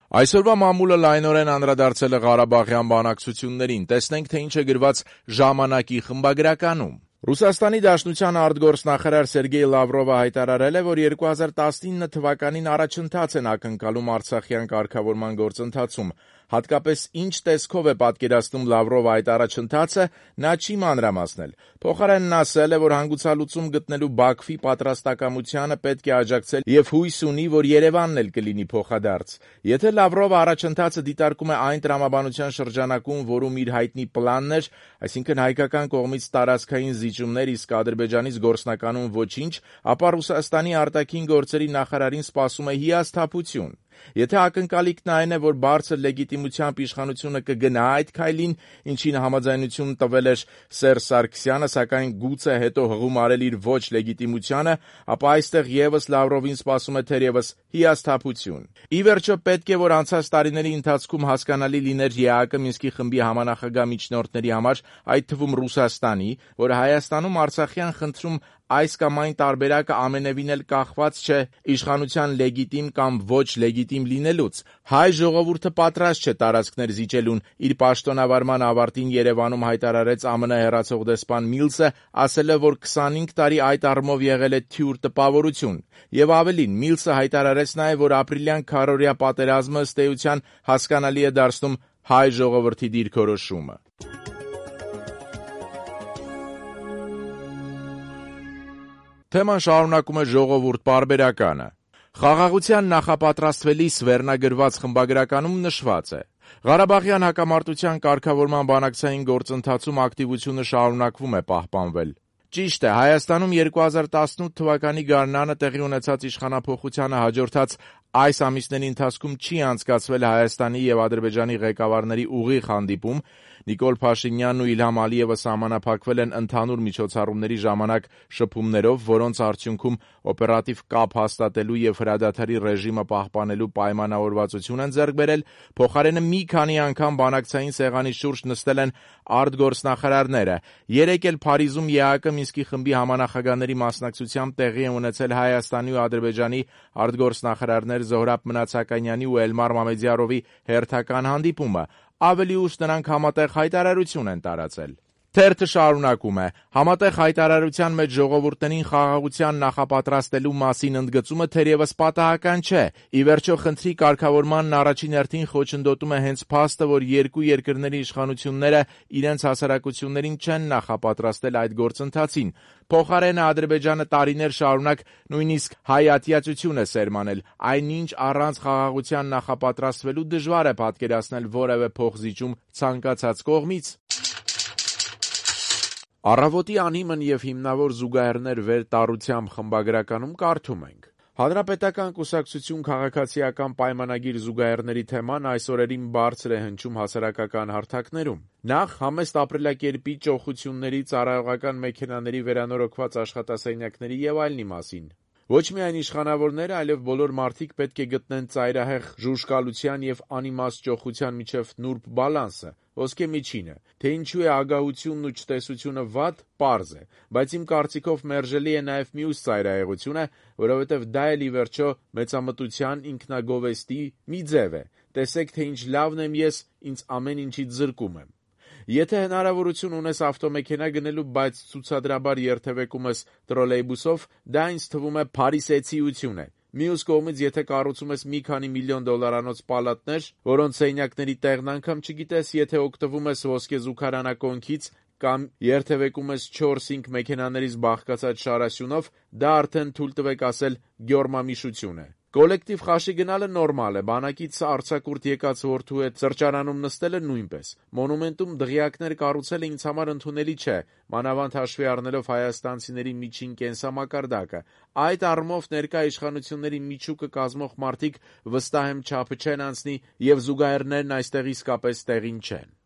Այսօրվա մամուլը լայնորեն անդրադարձել է Ղարաբաղյան բանակցություններին, տեսնենք, թե ինչ է գրված «Ժամանակ»-ի խմբագրականում։ Ռուսաստանի Դաշնության արտգործնախարար Սերգեյ Լավրովը հայտարարել է, որ 2019 թվականին առաջընթաց են ակնկալում արցախյան կարգավորման գործընթացում։ Հատկապես ինչ տեսքով է պատկերացնում Լավրովը այդ առաջընթացը, նա չի մանրամասնել։ Փոխարենն ասել է, որ հանգուցալուծում գտնելու Բաքվի պատրաստակամությանը պետք է աջակցել և հույս ունի, որ Երևանն էլ կլինի փոխադարձ։ Եթե Լավրովը առաջընթացը դիտարկում է այն տրամաբանության շրջանակում, որում իր հայտնի պլանն էր, այսինքն հայկական կողմից տարածքային զիջումներ, իսկ Ադրբեջանից գործնականում ոչինչ, ապա Ռուսաստանի արտաքին գործերի նախարարին սպասում է հիասթափություն։ Եթե ակնկալիքն այն է, որ բարձր լեգիտիմությամբ իշխանությունը կգնա այդ քայլին, ինչին համաձայնություն տվել էր Սերժ Սարգսյանը, սակայն գուցե հետո հղում արել իր ոչ լեգիտիմությանը, ապա այստեղ ևս Լավրովին սպասում է թերևս հիասթափություն։ Ի վերջո, պետք է, որ անցած տարիների ընթացքում հասկանալի լիներ ԵԱՀԿ Մինսկի խմբի համանախագահ միջնորդների համար, այդ թվում Ռուսաստանի, որ Հայաստանում արցախյան խնդրում այս կամ այն տարբերակը ամենևին էլ կախված չէ իշխանության լեգիտիմ կամ ոչ լեգիտիմ լինելուց։ Հայ ժողովուրդը պատրաստ չէ տարածքներ զիջելուն, իր պաշտոնավարման ավարտին Երևանում հայտարարեց ԱՄՆ հեռացող դեսպան Միլսը, ասել է, որ 25 տարի այդ առումով եղել է թյուր տպավորություն։ Եվ ավելին, Միլսը հայտարարեց նաև, որ ապրիլյան քառօրյա պատերազմը ըստ էության հասկանալի է դարձնում հայ ժողովրդի դիրքորոշումը։ Թեման շարունակում է «Ժողովուրդ» պարբերականը։ Խաղաղության նախապատրաստվելիս վերնագրված խմբագրականում նշված է. Ղարաբաղյան հակամարտության կարգավորման բանակցային գործընթացում ակտիվությունը շարունակվում է պահպանվել։ Ճիշտ է, Հայաստանում 2018 թվականի գարնանը տեղի ունեցած իշխանափոխությանը հաջորդած այս ամիսների ընթացքում չի անցկացվել Հայաստանի և Ադրբեջանի ղեկավարների ուղիղ հանդիպում։ Նիկոլ Փաշինյանն ու Իլհամ Ալիևը սահմանափակվել են ընդհանուր միջոցառումների ժամանակ շփումներով, որոնց արդյունքում օպերատիվ կապ հաստատելու և հրադադարի ռեժիմը պահպանելու պայմանավորվածություն են ձեռք բերել։ Փոխարենը մի քանի անգամ բանակցային սեղանի շուրջ նստել են արտգործնախարարները։ Երեկ էլ Փարիզում ԵԱՀԿ Մինսկի խմբի համանախագահների մասնակցությամբ տեղի է ունեցել Հայաստանի ու Ադրբեջանի արտգործնախարարներ Զոհրաբ Մնացականյանի ու Էլմար Մամեդյարովի հերթական հանդիպումը։ Ավելի ուշ նրանք համատեղ հայտարարություն են տարածել։ Թերթը շարունակում է. համատեղ հայտարարության մեջ ժողովուրդներին խաղաղության նախապատրաստելու մասին ընդգծումը թերևս պատահական չէ։ Ի վերջո, խնդրի կարգավորմանն առաջին հերթին խոչընդոտում է հենց փաստը, որ երկու երկրների իշխանությունները իրենց հասարակություններին չեն նախապատրաստել այդ գործընթացին։ Փոխարենը Ադրբեջանը տարիներ շարունակ նույնիսկ հայատյացություն է սերմանել, այնինչ առանց խաղաղության նախապատրաստվելու դժվար է պատկերացնել որևէ փոխզիջում ցանկացած կողմից։ Առավոտի անհիմն և հիմնավոր զուգահեռներ վերտառությամբ խմբագրականում կարդում ենք. Հանրապետական կուսակցություն քաղաքացիական պայմանագիր զուգահեռների թեման այս օրերին բարձր է հնչում հասարակական հարթակներում։ Նախ համեստ ապրելակերպի ճոխությունների, ծառայողական մեքենաների վերանորոգված աշխատասենյակների և այլնի մասին։ Ոչ միայն իշխանավորները, այլև բոլոր մարդիկ պետք է գտնեն ծայրահեղ ժուժկալության և անիմաստ ճոխության միջև նուրբ բալանսը, ոսկե միջինը։ Թե ինչու է ագահությունն ու չտեսությունը վատ, պարզ է, բայց իմ կարծիքով մերժելի է նաև մյուս ծայրահեղությունը, որովհետև դա էլ ի վերջո մեծամտության, ինքնագովեստի մի ձև է։ Տեսեք, թե ինչ լավն եմ ես, ինձ ամեն ինչից զրկում եմ։ Եթե հնարավորություն ունես ավտոմեքենա գնելու, բայց ցուցադրաբար երթևեկում ես տրոլեյբուսով, դա ինձ թվում է փարիսեցիություն է։ Մյուս կողմից, եթե կառուցում ես մի քանի միլիոն դոլարանոց պալատներ, որոնց սենյակների տեղն անգամ չգիտես, եթե օգտվում ես ոսկեզուգարանակոնքից կամ երթևեկում ես 4-5 մեքենաներից բաղկացած շարասյունով, դա արդեն թույլ տվեք ասել գյորմամիշություն է։ Կոլեկտիվ խաշի գնալը նորմալ է, բանակից արձակուրդ եկած որդու հետ սրճարանում նստելը նույնպես։ Մոնումենտում դղյակներ կառուցելը ինձ համար ընդունելի չէ, մանավանդ հաշվի առնելով հայաստանցիների միջին կենսամակարդակը։ Այդ առումով ներկա իշխանությունների միջուկը կազմող մարդիկ վստահ եմ չափը չեն անցնի և զուգահեռներն այստեղ իսկապես տեղին չեն։